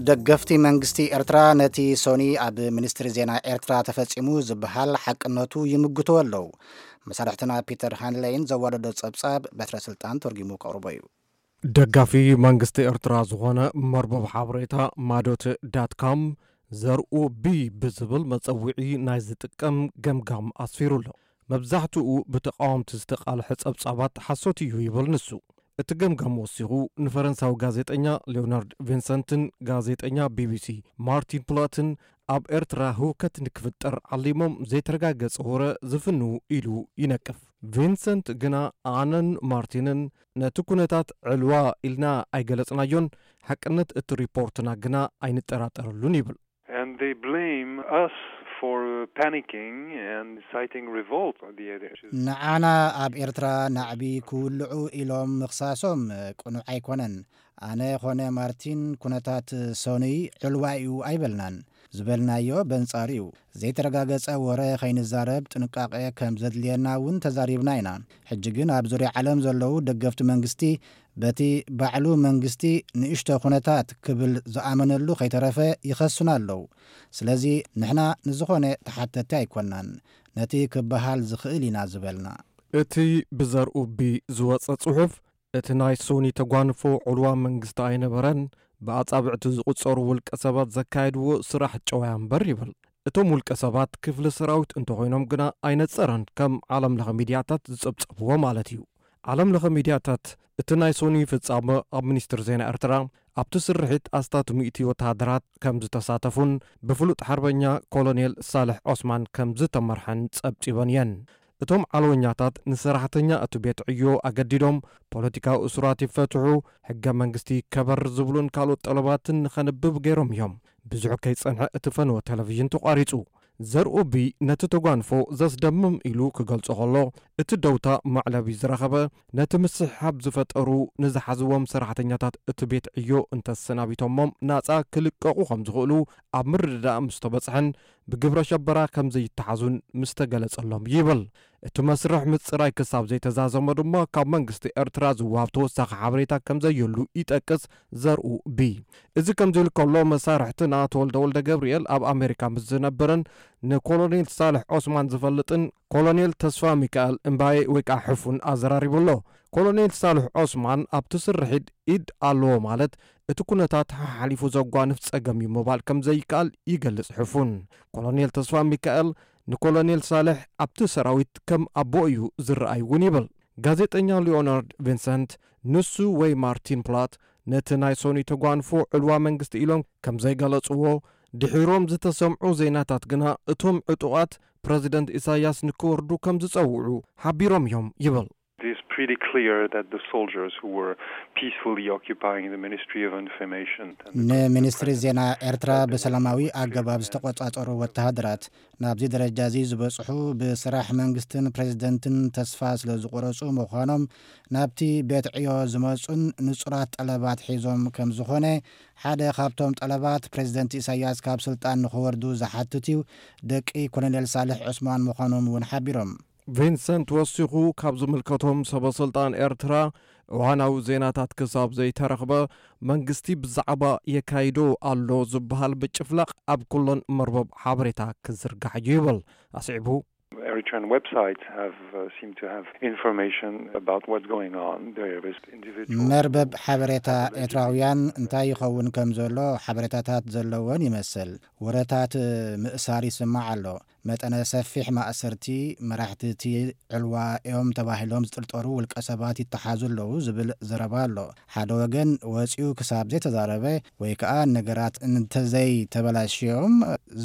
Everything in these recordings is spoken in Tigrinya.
ደገፍቲ መንግስቲ ኤርትራ ነቲ ሶኒ ኣብ ሚኒስትሪ ዜና ኤርትራ ተፈጺሙ ዝበሃል ሓቅነቱ ይምግትዎ ኣለዉ። መሳርሕትና ፒተር ሃንለይን ዘዋደዶ ጸብጻብ በትረ ስልጣን ተርጊሙ ከቕርቦ እዩ። ደጋፊ መንግስቲ ኤርትራ ዝኾነ መርበብ ሓበሬታ ማዶት ዳት ካም፣ ዘርኡ ቢ ብዝብል መጸውዒ ናይ ዝጥቀም ገምጋም ኣስፊሩ ኣሎ። መብዛሕትኡ ብተቓወምቲ ዝተቓልሐ ጸብጻባት ሓሶት እዩ ይብል ንሱ። እቲ ገምጋም ወሲኹ፣ ንፈረንሳዊ ጋዜጠኛ ሊዮናርድ ቪንሰንትን ጋዜጠኛ ቢ ቢ ሲ ማርቲን ፕላትን ኣብ ኤርትራ ህውከት ንክፍጠር ዓሊሞም ዘይተረጋገጸ ወረ ዝፍንዉ ኢሉ ይነቅፍ። ቪንሰንት ግና ኣነን ማርቲንን ነቲ ኩነታት ዕልዋ ኢልና ኣይገለጽናዮን፣ ሓቅነት እቲ ሪፖርትና ግና ኣይንጠራጠረሉን ይብል። And they blame us for panicking and inciting revolt. The other ንዓና ኣብ ኤርትራ ናዕቢ ክውልዑ ኢሎም ምኽሳሶም ቅኑዕ ኣይኮነን። ኣነ ኾነ ማርቲን ኩነታት ሶኑይ ዕልዋ እዩ ኣይበልናን። ዝበልናዮ በንጻሩ እዩ። ዘይተረጋገጸ ወረ ከይንዛረብ ጥንቃቄ ከም ዘድልየና እውን ተዛሪብና ኢና። ሕጂ ግን ኣብ ዙርያ ዓለም ዘለዉ ደገፍቲ መንግስቲ በቲ ባዕሉ መንግስቲ ንእሽቶ ኩነታት ክብል ዝኣመነሉ ከይተረፈ ይኸሱና ኣለዉ። ስለዚ ንሕና ንዝኾነ ተሓተቲ ኣይኮናን። ነቲ ክበሃል ዝኽእል ኢና ዝበልና። እቲ ብዘርኡ ቢ ዝወጸ ጽሑፍ፣ እቲ ናይ ሶኒ ተጓንፎ ዕልዋ መንግስቲ ኣይነበረን፣ ብኣጻብዕቲ ዝቑጸሩ ውልቀ ሰባት ዘካየድዎ ስራሕ ጨዋያ እምበር ይብል። እቶም ውልቀ ሰባት ክፍሊ ሰራዊት እንተኾይኖም ግና ኣይነጸረን፣ ከም ዓለም ለኸ ሚድያታት ዝጸብጸብዎ ማለት እዩ። ዓለም ለኸ ሚድያታት እቲ ናይ ሶኒ ፍጻመ ኣብ ሚኒስትሪ ዜና ኤርትራ ኣብቲ ስርሒት ኣስታት ሚእቲ ወተሃደራት ከም ዝተሳተፉን ብፍሉጥ ሓርበኛ ኮሎኔል ሳልሕ ዖስማን ከም ዝተመርሐን ጸብጺበን እየን። እቶም ዓለወኛታት ንሰራሕተኛ እቲ ቤት ዕዮ ኣገዲዶም ፖለቲካዊ እሱራት ይፈትሑ፣ ሕገ መንግስቲ ይከበር ዝብሉን ካልኦት ጠለባትን ንኸንብብ ገይሮም እዮም። ብዙሕ ከይጸንሐ እቲ ፈነወ ቴሌቪዥን ተቋሪጹ። ዘርኡ ቢ ነቲ ተጓንፎ ዘስደምም ኢሉ ክገልጾ ከሎ፣ እቲ ደውታ መዕለቢ ዝረኸበ ነቲ ምስሕሓብ ዝፈጠሩ ንዝሓዝዎም ሰራሕተኛታት እቲ ቤት ዕዮ እንተሰናቢቶሞም ናጻ ክልቀቑ ከም ዝኽእሉ ኣብ ምርድዳእ ምስ ተበጽሐን ብግብረ ሸበራ ከም ዘይተሓዙን ምስ ተገለጸሎም ይብል። እቲ መስርሕ ምጽራይ ክሳብ ዘይተዛዘመ ድማ ካብ መንግስቲ ኤርትራ ዝወሃብ ተወሳኺ ሓበሬታ ከም ዘየሉ ይጠቅስ ዘርኡ ቢ። እዚ ከምዚ ኢሉ ከሎ፣ መሳርሕትና ተወልደ ወልደ ገብርኤል ኣብ ኣሜሪካ ምስ ዝነብርን ንኮሎኔል ሳልሕ ዖስማን ዝፈልጥን ኮሎኔል ተስፋ ሚካኤል እምባዬ ወይ ከዓ ሕፉን ኣዘራሪቡ ኣሎ። ኮሎኔል ሳልሕ ዖስማን ኣብቲ ስርሒት ኢድ ኣለዎ ማለት እቲ ኩነታት ሓሓሊፉ ዘጓንፍ ጸገም እዩ ምባል ከም ዘይከኣል ይገልጽ ሕፉን። ኮሎኔል ተስፋ ሚካኤል ንኮሎኔል ሳልሕ ኣብቲ ሰራዊት ከም ኣቦ እዩ ዝረኣይ እውን ይብል። ጋዜጠኛ ሊዮናርድ ቪንሰንት፣ ንሱ ወይ ማርቲን ፕላት ነቲ ናይ ሶኒ ተጓንፎ ዕልዋ መንግስቲ ኢሎም ከም ዘይገለጽዎ፣ ድሒሮም ዝተሰምዑ ዜናታት ግና እቶም ዕጡቓት ፕረዚደንት ኢሳያስ ንክወርዱ ከም ዝጸውዑ ሓቢሮም እዮም ይብል። It is pretty clear that the soldiers who were peacefully occupying the Ministry of Information and the ንሚኒስትሪ ዜና ኤርትራ ብሰላማዊ ኣገባብ ዝተቆጻጸሩ ወተሃደራት ናብዚ ደረጃ እዚ ዝበጽሑ ብስራሕ መንግስትን ፕሬዝደንትን ተስፋ ስለ ዝቆረጹ ምዃኖም፣ ናብቲ ቤት ዕዮ ዝመጹን ንጹራት ጠለባት ሒዞም ከም ዝኾነ፣ ሓደ ካብቶም ጠለባት ፕሬዝደንት ኢሳያስ ካብ ስልጣን ንኽወርዱ ዝሓትት እዩ፣ ደቂ ኮሎኔል ሳልሕ ዑስማን ምዃኖም እውን ሓቢሮም። ቪንሰንት ወሲኹ፣ ካብ ዝምልከቶም ሰበ ስልጣን ኤርትራ እዋናዊ ዜናታት ክሳብ ዘይተረኽበ፣ መንግስቲ ብዛዕባ የካይዶ ኣሎ ዝበሃል ምጭፍላቕ ኣብ ኩለን መርበብ ሓበሬታ ክዝርጋሕ እዩ ይብል። ኣስዒቡ፣ Eritrean websites have uh, seem to have information about what's going on. There is individual መርበብ ሓበሬታ ኤርትራውያን እንታይ ይኸውን ከም ዘሎ ሓበሬታታት ዘለወን ይመስል። ወረታት ምእሳር ይስማዕ ኣሎ። መጠነ ሰፊሕ ማእሰርቲ፣ መራሕቲ እቲ ዕልዋ እዮም ተባሂሎም ዝጥርጠሩ ውልቀ ሰባት ይተሓዙ ኣለዉ ዝብል ዘረባ ኣሎ። ሓደ ወገን ወፂኡ ክሳብ ዘይተዛረበ ወይ ከዓ ነገራት እንተዘይተበላሽዮም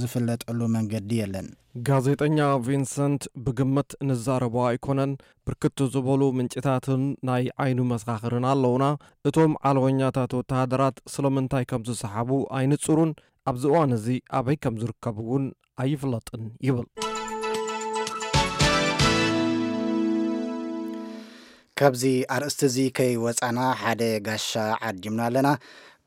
ዝፍለጠሉ መንገዲ የለን። ጋዜጠኛ ቪንሰንት፣ ብግምት ንዛረቦ ኣይኮነን፣ ብርክት ዝበሉ ምንጭታትን ናይ ዓይኑ መሰኻኽርን ኣለውና። እቶም ዓለወኛታት ወተሃደራት ስለምንታይ ከም ዝሰሓቡ ኣይንጹሩን፣ ኣብዚ እዋን እዚ ኣበይ ከም ዝርከቡ እውን ኣይፍለጥን ይብል። ካብዚ ኣርእስቲ እዚ ከይወጻና ሓደ ጋሻ ዓዲምና ኣለና።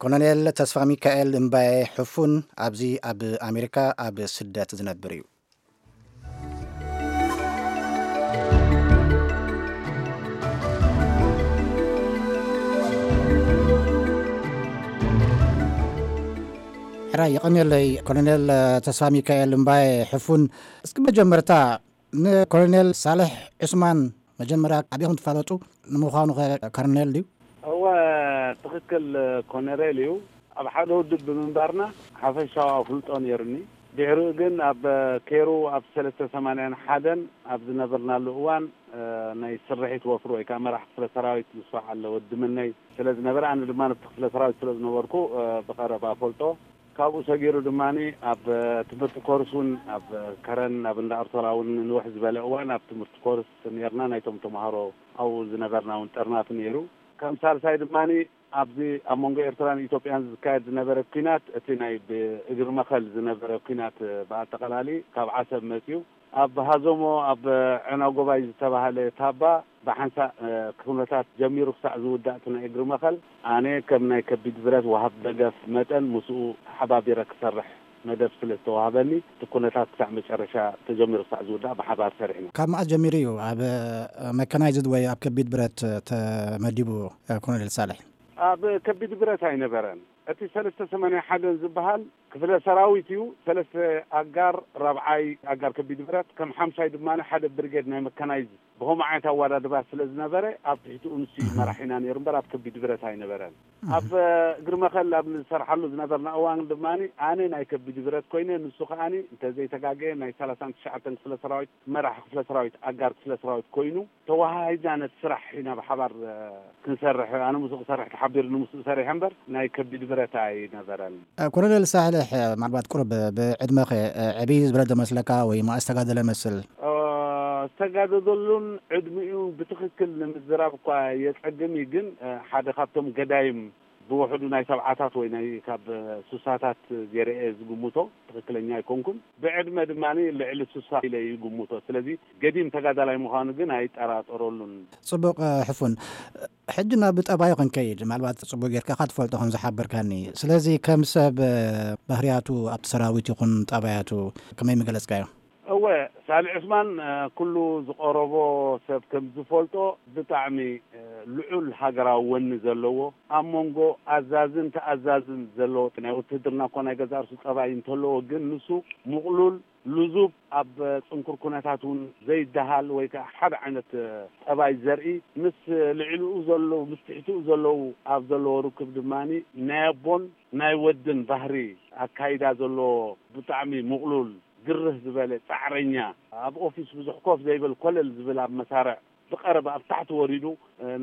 ኮሎኔል ተስፋ ሚካኤል እምባየ ሕፉን ኣብዚ ኣብ ኣሜሪካ ኣብ ስደት ዝነብር እዩ። ሕራይ የቐንየለይ ኮሎኔል ተስፋ ሚካኤል እምባየ ሕፉን። እስኪ መጀመርታ ንኮሎኔል ሳልሕ ዑስማን መጀመርያ ኣበይ ከም ትፋለጡ? ንምዃኑ ኸ ኮሎኔል ድዩ? እወ፣ ትኽክል፣ ኮነሬል እዩ። ኣብ ሓደ ውድብ ብምንባርና ሓፈሻዊ ኣፍልጦ ነይሩኒ። ድሕሪኡ ግን ኣብ ኬሩ ኣብ ሰለስተ ሰማንያን ሓደን ኣብ ዝነበርናሉ እዋን ናይ ስርሒት ወፍሪ ወይ ከዓ መራሕ ክፍለ ሰራዊት ምስ በዓል ወዲ ምነይ ስለ ዝነበረ፣ ኣነ ድማ ነቲ ክፍለ ሰራዊት ስለ ዝነበርኩ ብቐረባ ፈልጦ። ካብኡ ሰጊሩ ድማ ኣብ ትምህርቲ ኮርስ እውን ኣብ ከረን ኣብ እንዳ ኣርቶራ እውን ንንውሕ ዝበለ እዋን ኣብ ትምህርቲ ኮርስ ነርና። ናይቶም ተምሃሮ ኣብኡ ዝነበርና እውን ጠርናፊ ነይሩ። ከም ሳልሳይ ድማ ኣብዚ ኣብ መንጎ ኤርትራን ኢትዮጵያን ዝካየድ ዝነበረ ኲናት፣ እቲ ናይ ብእግሪ መኸል ዝነበረ ኲናት ብኣጠቓላሊ ካብ ዓሰብ መፅዩ ኣብ ሃዞሞ ኣብ ዕናጎባይ ዝተባህለ ታባ ብሓንሳእ ኩነታት ጀሚሩ ክሳዕ ዝውዳእ እቲ ናይ እግሪ መኸል ኣነ ከም ናይ ከቢድ ብረት ወሃብ ደገፍ መጠን ምስኡ ተሓባቢረ ክሰርሕ መደብ ስለ ዝተዋህበኒ እቲ ኩነታት ክሳዕ መጨረሻ ተጀሚሩ ክሳዕ ዝውዳእ ብሓባር ሰሪሕና። ካብ መዓስ ጀሚሩ እዩ ኣብ መካናይዝድ ወይ ኣብ ከቢድ ብረት ተመዲቡ ኮሎኔል ሳልሕ? ኣብ ከቢድ ብረት ኣይነበረን። እቲ ሰለስተ ሰማንያ ሓደን ዝበሃል ክፍለ ሰራዊት እዩ። ሰለስተ ኣጋር ራብዓይ ኣጋር ከቢድ ብረት፣ ከም ሓምሻይ ድማ ሓደ ብርጌድ ናይ መካናይዝ ብኸምኡ ዓይነት ኣወዳድባ ስለ ዝነበረ ኣብ ትሕቲኡ ንሱ እዩ መራሒና ነይሩ እምበር ኣብ ከቢድ ብረት ኣይነበረን። ኣብ እግሪ መኸል ኣብ ንሰርሓሉ ዝነበርና እዋን ድማ ኣነ ናይ ከቢድ ብረት ኮይነ፣ ንሱ ከኣ እንተዘይተጋገየ ናይ ሰላሳን ትሽዓተን ክፍለ ሰራዊት መራሒ ክፍለ ሰራዊት ኣጋር ክፍለ ሰራዊት ኮይኑ ተወሃሂድና ነቲ ስራሕ ኢና ብሓባር ክንሰርሕ፣ ኣነ ምስኡ ክሰርሕ ተሓቢርኒ ምስኡ ሰሪሐ እምበር ናይ ከቢድ ብረት ኣይነበረን። ኮሎኔል ሳልሕ፣ ምናልባት ቁሩብ ብዕድመኸ ዕብይ ዝበለ ዶ መስለካ ወይ መኣስ ተጋደለ መስል? ዝተጋደደሉን ዕድሚኡ ብትኽክል ንምዝራብ እኳ የጸግም እዩ፣ ግን ሓደ ካብቶም ገዳይም ብውሕዱ ናይ ሰብዓታት ወይ ናይ ካብ ሱሳታት ገይረ እየ ዝግምቶ፣ ትኽክለኛ ኣይኮንኩን። ብዕድመ ድማ ልዕሊ ሱሳ ኢለ ይግምቶ። ስለዚ ገዲም ተጋዳላይ ምዃኑ ግን ኣይጠራጠረሉን። ጽቡቕ ሕፉን። ሕጂ ናብ ጠባዩ ክንከይድ፣ ምናልባት ጽቡቕ ጌርካ ኢኻ ትፈልጦ ከም ዝሓበርካኒ። ስለዚ ከም ሰብ ባህርያቱ ኣብቲ ሰራዊት ይኹን ጠባያቱ ከመይ ምገለጽካዮ? እወ፣ ሳልሕ ዑስማን ኩሉ ዝቐረቦ ሰብ ከም ዝፈልጦ ብጣዕሚ ልዑል ሃገራዊ ወኒ ዘለዎ፣ ኣብ መንጎ ኣዛዝን ተኣዛዝን ዘለዎ፣ ናይ ውትህድርና እኮ ናይ ገዛእ ርእሱ ጠባይ እንተለዎ፣ ግን ንሱ ምቕሉል፣ ልዙብ፣ ኣብ ጽንኩር ኩነታት እውን ዘይደሃል ወይ ከዓ ሓደ ዓይነት ጠባይ ዘርኢ፣ ምስ ልዕሊኡ ዘለዉ፣ ምስ ትሕቲኡ ዘለዉ ኣብ ዘለዎ ርክብ ድማ ናይ ኣቦን ናይ ወድን ባህሪ ኣካይዳ ዘለዎ ብጣዕሚ ምቕሉል፣ ግርህ ዝበለ ጻዕረኛ፣ ኣብ ኦፊስ ብዙሕ ኮፍ ዘይብል ኮለል ዝብል ኣብ መሳርዕ ብቐረባ ኣብ ታሕቲ ወሪዱ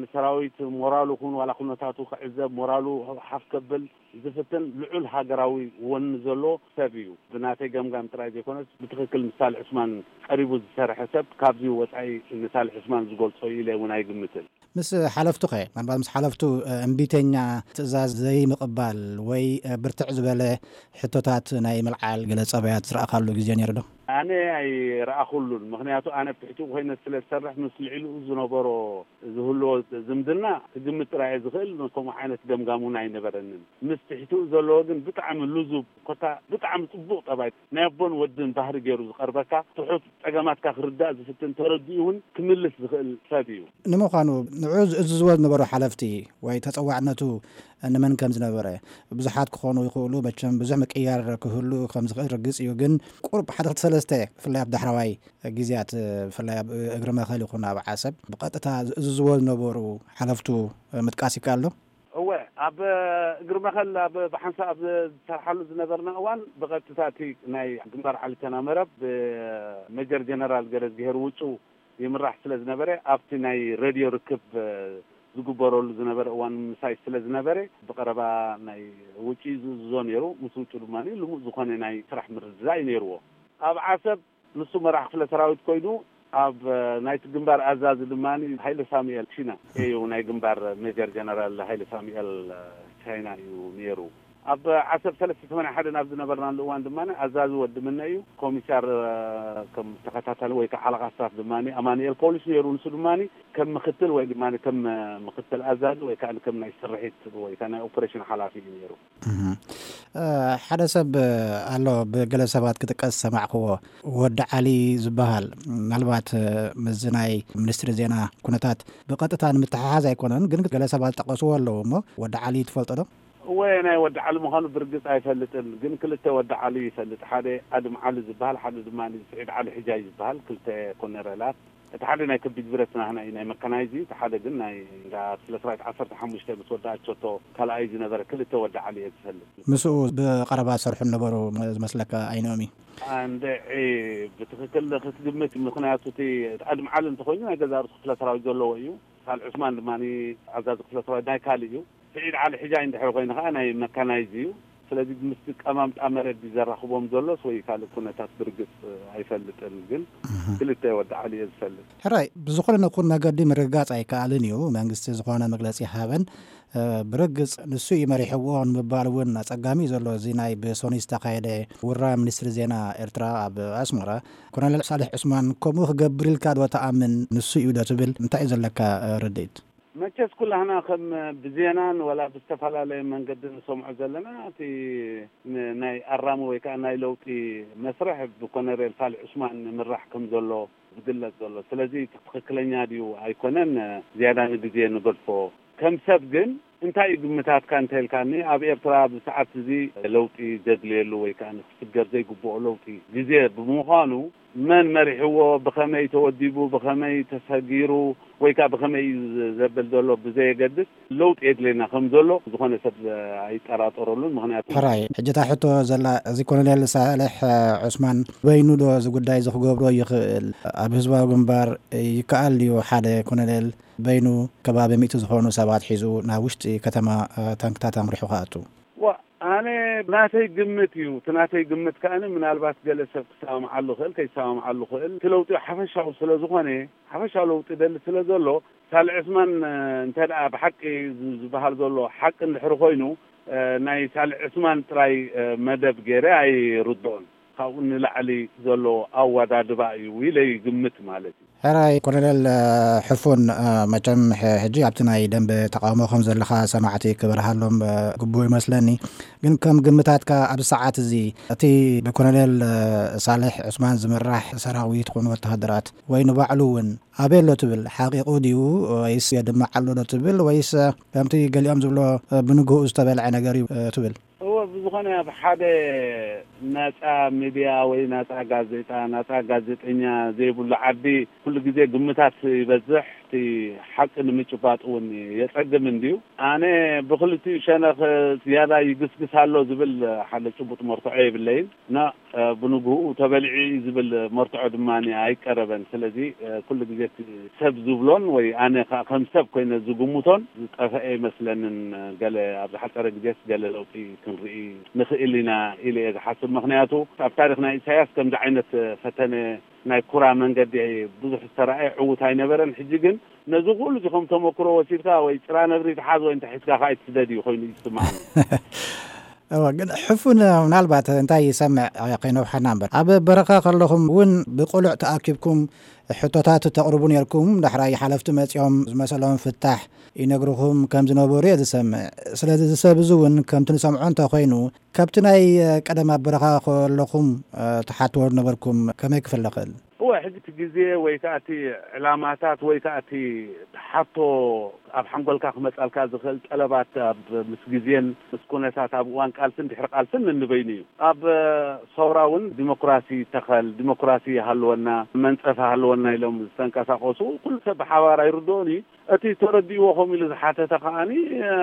ንሰራዊት ሞራሉ ኩን ዋላ ኩነታቱ ክዕዘብ ሞራሉ ሓፍ ከብል ዝፍትን ልዑል ሃገራዊ ወኒ ዘሎ ሰብ እዩ። ብናተይ ገምጋም ጥራይ ዘይኮነስ ብትኽክል ምስ ሳልሕ ዑስማን ቀሪቡ ዝሰርሐ ሰብ ካብዚ ወጻኢ ንሳልሕ ዑስማን ዝገልጾ እዩ ኢለ እውን ኣይግምትን። ምስ ሓለፍቱኸ? ምናልባት ምስ ሓለፍቱ እምቢተኛ ትእዛዝ ዘይምቕባል ወይ ብርትዕ ዝበለ ሕቶታት ናይ ምልዓል ገለ ጸባያት ዝረኣኻሉ ግዜ ነይሩ ዶ? ኣነ ኣይረኣኹሉን። ምኽንያቱ ኣነ ኣብ ትሕቲኡ ኮይነ ስለ ዝሰርሕ ምስ ልዕሊኡ ዝነበሮ ዝህልዎ ዝምድና ክግምት ጥራይ እየ ዝኽእል። ከምኡ ዓይነት ገምጋም እውን ኣይነበረንን። ምስ ትሕቲኡ ዘለዎ ግን ብጣዕሚ ልዙብ ኮታ ብጣዕሚ ጽቡቕ ጠባይ ናይ ኣቦን ወድን ባህሪ ገይሩ ዝቐርበካ፣ ትሑት ጸገማትካ ክርዳእ ዝፍትን፣ ተረዲኡ እውን ክምልስ ዝኽእል ሰብ እዩ። ንምዃኑ ንዑ ዝእዝዝዎ ዝነበሩ ሓለፍቲ ወይ ተጸዋዕነቱ ንመን ከም ዝነበረ፣ ብዙሓት ክኾኑ ይኽእሉ፣ መቸም ብዙሕ ምቅያር ክህሉ ከም ዝኽእል ርግጽ እዩ። ግን ቁሩብ ሓደ ክልተ ሰለስተ ብፍላይ ኣብ ዳሕረዋይ ግዜያት ብፍላይ ኣብ እግሪ መኸል ይኹን ኣብ ዓሰብ ብቐጥታ ዝእዝዝዎ ዝነበሩ ሓለፍቱ ምጥቃስ ይከኣል ዶ? እወ፣ ኣብ እግሪ መኸል ኣብ ብሓንሳእ ኣብ ዝሰርሓሉ ዝነበርና እዋን ብቐጥታ እቲ ናይ ግንባር ዓሊተና መረብ ብሜጀር ጀነራል ገረዝግሄር ውጩ ይምራሕ ስለ ዝነበረ ኣብቲ ናይ ሬድዮ ርክብ ዝግበረሉ ዝነበረ እዋን ምሳይ ስለ ዝነበረ ብቐረባ ናይ ውጪ ዝእዝዞ ነይሩ። ምስ ውጩ ድማ ልሙእ ዝኾነ ናይ ስራሕ ምርድዳእ እዩ ነይርዎ። ኣብ ዓሰብ ንሱ መራሕ ክፍለ ሰራዊት ኮይኑ ኣብ ናይቲ ግንባር ኣዛዚ ድማ ሃይለ ሳሙኤል ቺና እዩ። ናይ ግንባር ሜጀር ጀነራል ሃይለ ሳሙኤል ቻይና እዩ ነይሩ። ኣብ ዓሰብ ሰለስተ ሰማንያ ሓደ ናብ ዝነበርናሉ እዋን ድማ ኣዛዚ ወዲ ምነ እዩ። ኮሚሳር ከም ተኸታታሊ ወይ ከዓ ሓለቓ ስታፍ ድማ ኣማኑኤል ፖሊስ ነይሩ። ንሱ ድማ ከም ምክትል ወይ ድማ ከም ምክትል ኣዛዚ ወይ ከዓ ከም ናይ ስርሒት ወይ ከዓ ናይ ኦፕሬሽን ሓላፊ እዩ ነይሩ። ሓደ ሰብ ኣሎ፣ ብገለ ሰባት ክጥቀስ ዝሰማዕክዎ፣ ወዲ ዓሊ ዝበሃል። ምናልባት ምስዚ ናይ ሚኒስትሪ ዜና ኩነታት ብቐጥታ ንምትሕሓዝ ኣይኮነን፣ ግን ገለ ሰባት ዝጠቀስዎ ኣለዉ እሞ ወዲ ዓሊ ትፈልጦ ዶ? እወ፣ ናይ ወዲ ዓሊ ምዃኑ ብርግጽ ኣይፈልጥን፣ ግን ክልተ ወዲ ዓሊ ይፈልጥ። ሓደ ኣድም ዓሊ ዝበሃል፣ ሓደ ድማ ስዒድ ዓሊ ሕጃይ ዝበሃል፣ ክልተ ኮነረላት። እቲ ሓደ ናይ ከቢድ ብረት ናህና እዩ፣ ናይ መካናይዝ እዩ። እቲ ሓደ ግን ናይ እንዳ ክፍለ ሰራዊት ዓሰርተ ሓሙሽተ ምስ ወዲ ኣቸቶ ካልኣይ ዝነበረ ክልተ ወዲ ዓሊ እየ ዝፈልጥ። ምስኡ ብቐረባ ዝሰርሑ ዝነበሩ ዝመስለካ ኣይኖም እዩ? እንድዒ፣ ብትኽክል ክትግምት፣ ምኽንያቱ እቲ ኣድም ዓሊ እንተኾይኑ ናይ ገዛ ርእሱ ክፍለ ሰራዊት ዘለዎ እዩ። ሳል ዑስማን ድማ ኣዛዚ ክፍለ ሰራዊት ናይ ካልእ እዩ። ስዒድ ዓሊ ሕጃይ እንድሕር ኮይኑ ከዓ ናይ መካናይዝ እዩ። ስለዚ ምስቲ ቀማምጣ መረብ እዩ ዘራኽቦም ዘሎስ ወይ ካልእ ኩነታት ብርግጽ ኣይፈልጥን፣ ግን ክልተ ወዲ ዓሊ እየ ዝፈልጥ። ሕራይ፣ ብዝኾነ ነኹን መገዲ ምርግጋጽ ኣይከኣልን እዩ። መንግስቲ ዝኾነ መግለጺ ሃበን፣ እ፣ ብርግጽ ንሱ እዩ መሪሕዎ ንምባል እውን ኣጸጋሚ እዩ ዘሎ። እዚ ናይ ብሶኒ ዝተኻየደ ውራ ሚኒስትሪ ዜና ኤርትራ ኣብ ኣስመራ፣ ኮሎኔል ሳልሕ ዑስማን ከምኡ ክገብር ኢልካ ዶ ትኣምን? ንሱ እዩ ዶ ትብል? እንታይ እዩ ዘለካ፣ እ፣ ርድኢት? መቸስ ኩላህና ከም ብዜናን ወላ ብዝተፈላለየ መንገዲ ንሰምዖ ዘለና፣ እቲ ን-፣ ናይ ኣራሚ ወይ ከዓ ናይ ለውጢ መስርሕ ብኮነሬል ሳልሕ ዑስማን ንምራሕ ከም ዘሎ ዝግለጽ ዘሎ። ስለዚ እቲ ትኽክለኛ ድዩ ኣይኮነን ዝያዳ ንግዜ ንገድፎ። ከም ሰብ ግን እንታይ እዩ ግምታትካ እንተልካኒ፣ ኣብ ኤርትራ ኣብዚ ሰዓት እዚ ለውጢ ዘድልየሉ ወይ ከዓ ንክስገር ዘይግብኦ ለውጢ ግዜ ብምዃኑ፣ መን መሪሕዎ፣ ብኸመይ ተወዲቡ፣ ብኸመይ ተሰጊሩ፣ ወይ ከዓ ብኸመይ እዩ ዘብል ዘሎ ብዘየገድስ፣ ለውጢ የድልየና ከም ዘሎ ዝኾነ ሰብ ኣይጠራጠረሉን። ምኽንያቱ ሕራይ፣ ሕጂ እታ ሕቶ ዘላ፣ እዚ ኮሎኔል ሳልሕ ዑስማን በይኑ ዶ እዚ ጉዳይ እዚ ክገብሮ ይኽእል? ኣብ ህዝባዊ ግንባር ይከኣል ድዩ ሓደ ኮሎኔል በይኑ ከባቢ ሚእቲ ዝኾኑ ሰባት ሒዙ ናብ ውሽጢ ከተማ፣ እ፣ ታንክታት ኣምሪሑ ክኣቱ? ዋ፣ ኣነ ናተይ ግምት እዩ። እቲ ናተይ ግምት ከኣኒ ምናልባት ገለ ሰብ ክሰማምዓሉ ክእል፣ ከይሰማምዓሉ ክእል። እቲ ለውጢ ሓፈሻዊ ስለ ዝኾነ፣ ሓፈሻዊ ለውጢ ደሊ ስለ ዘሎ፣ ሳልሕ ዑስማን፣ እ፣ እንተ ደኣ ብሓቂ ዝ-፣ ዝበሃል ዘሎ ሓቂ እንድሕሪ ኮይኑ፣ እ፣ ናይ ሳልሕ ዑስማን ጥራይ፣ እ፣ መደብ ገይረ ኣይርድኦን። ካብኡ ንላዕሊ ዘሎ ኣወዳድባ እዩ ኢለ ይግምት ማለት እዩ። ሕራይ ኮሎኔል፣ እ፣ ሕፉን፣ እ፣ መቸም ሕ-፣ ሕጂ ኣብቲ ናይ ደንበ ተቃውሞ ከም ዘለኻ ሰማዕቲ ክበርሃሎም፣ እ፣ ግቡእ ይመስለኒ። ግን ከም ግምታትካ ኣብዚ ሰዓት እዚ እቲ ብኮሎኔል፣ እ፣ ሳልሕ ዑስማን ዝምራሕ ሰራዊት ኮኑ ወተሃደራት ወይ ንባዕሉ እውን ኣበይ ኣሎ ትብል? ሓቂቑ ድዩ ወይስ የድምዕ ኣሎ ዶ ትብል? ወይስ፣ እ፣ ከምቲ ገሊኦም ዝብሎ፣ እ፣ ብንግህኡ ዝተበልዐ ነገር እዩ፣ እ፣ ትብል? እወ፣ ብዝኾነ ኣብ ሓደ ናጻ ሚድያ ወይ ናጻ ጋዜጣ፣ ናጻ ጋዜጠኛ ዘይብሉ ዓዲ ኩሉ ግዜ ግምታት ይበዝሕ፣ እቲ ሓቂ ንምጭባጥ እውን የጸግም እንድዩ። ኣነ ብኽልቲኡ ሸነኽ ዝያዳ ይግስግስ ኣሎ ዝብል ሓደ ጭቡጥ መርትዖ የብለይን። ና፣ እ፣ ብንግህኡ ተበሊዑ እዩ ዝብል መርትዖ ድማ ኣይቀረበን። ስለዚ፣ እ፣ ኩሉ ግዜ እቲ ሰብ ዝብሎን ወይ ኣነ ከ-፣ ከም ሰብ ኮይነ ዝግምቶን ዝጠፈአ ይመስለንን። ገለ ኣብ ዝሓጸረ ግዜስ ገለ ለውጢ ክንርኢ ንኽእል ኢና ኢለ እየ ዝሓስብ። ምኽንያቱ ኣብ ታሪኽ ናይ ኢሳያስ ከምዚ ዓይነት ፈተነ ናይ ኩራ መንገዲ ብዙሕ ዝተረኣየ ዕዉት ኣይነበረን። ሕጂ ግን ነዚ ኩሉ እዚ ከም ተመክሮ ወሲድካ ወይ ጭራ ነብሪ ትሓዝ ወይ እንተ ሒዝካ ከኣ ኣይትስደድ እዩ ኮይኑ እዩ ዝስምዓኒ። እወ፣ ግን ሕፉን ምናልባት እንታይ ይሰምዕ ከይነውሓና እምበር፣ ኣብ በረኻ ከለኹም እውን ብቕሉዕ ተኣኪብኩም ሕቶታት ተቕርቡ ነርኩም። ዳሕራይ ሓለፍቲ መጺኦም ዝመሰሎም ፍታሕ ይነግርኹም ከም ዝነበሩ እየ ዝሰምዕ። ስለዚ እዚ ሰብ እዚ እውን ከምቲ ንሰምዖ እንተኾይኑ፣ ካብቲ ናይ ቀደም ኣብ በረኻ ከለኹም፣ እ፣ ትሓትዎ ዝነበርኩም ከመይ ክፍለ ክእል? እወ፣ ሕጂ እቲ ግዜ ወይ ከኣ እቲ ዕላማታት ወይ ከኣ እቲ ሓቶ ኣብ ሓንጎልካ ክመጻልካ ዝኽእል ጠለባት ኣብ ምስ ግዜን ምስ ኩነታት ኣብ እዋን ቃልስን ድሕሪ ቃልስን ነንበይኑ እዩ። ኣብ፣ እ፣ ሰውራ እውን ዲሞክራሲ ተኸል፣ ዲሞክራሲ ይሃልወና፣ መንጸፍ ይሃልወና ኢሎም ዝተንቀሳቐሱ ኩሉ ሰብ ብሓባር ኣይርድኦን እዩ። እቲ ተረዲእዎ ከምኡ ኢሉ ዝሓተተ ከኣኒ፣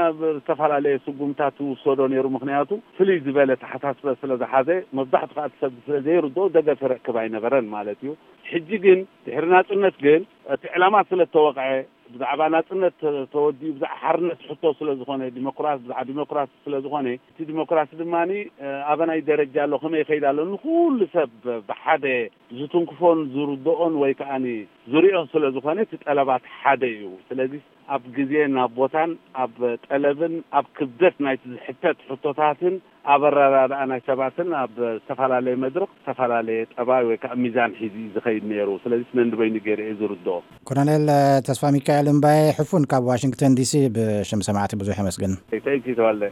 ኣብ ዝተፈላለየ ስጉምታት ዝውሰዶ ነይሩ። ምኽንያቱ ፍልይ ዝበለ ተሓሳስበ ስለ ዝሓዘ፣ መብዛሕቱ ከኣ እቲ ሰብ ስለ ዘይርድኦ ደገፍ ይረክብ ኣይነበረን ማለት እዩ። ሕጂ ግን ድሕሪ ናጽነት ግን እቲ ዕላማ ስለ እተወቕዐ፣ ብዛዕባ ናጽነት ተ-፣ ተወዲኡ፣ ብዛዕባ ሓርነት ሕቶ ስለ ዝኾነ፣ ዲሞክራሲ፣ ብዛዕባ ዲሞክራሲ ስለ ዝኾነ፣ እቲ ዲሞክራሲ ድማኒ፣ እ፣ ኣበናይ ደረጃ ኣሎ፣ ከመይ ይኸይድ ኣሎ፣ ንኹሉ ሰብ ብሓደ ዝትንክፎን ዝርድኦን ወይ ከኣኒ ዝሪኦን ስለ ዝኾነ፣ እቲ ጠለባት ሓደ እዩ። ስለዚ ኣብ ግዜን ኣብ ቦታን፣ ኣብ ጠለብን ኣብ ክብደት ናይቲ ዝሕተት ሕቶታትን ኣብ ኣረዳድኣ ናይ ሰባትን ኣብ ዝተፈላለየ መድረኽ ዝተፈላለየ ጠባይ ወይ ከዓ ሚዛን ሒዙ እዩ ዝኸይድ ነይሩ። ስለዚ ነንበይኑ ገይረ እየ ዝርድኦ። ኮሎኔል ተስፋ ሚካኤል እምባየ ሕፉን ካብ ዋሽንግተን ዲሲ ብሽም ሰማዕቲ ብዙሕ የመስግን። ተንኪ ተዋለ።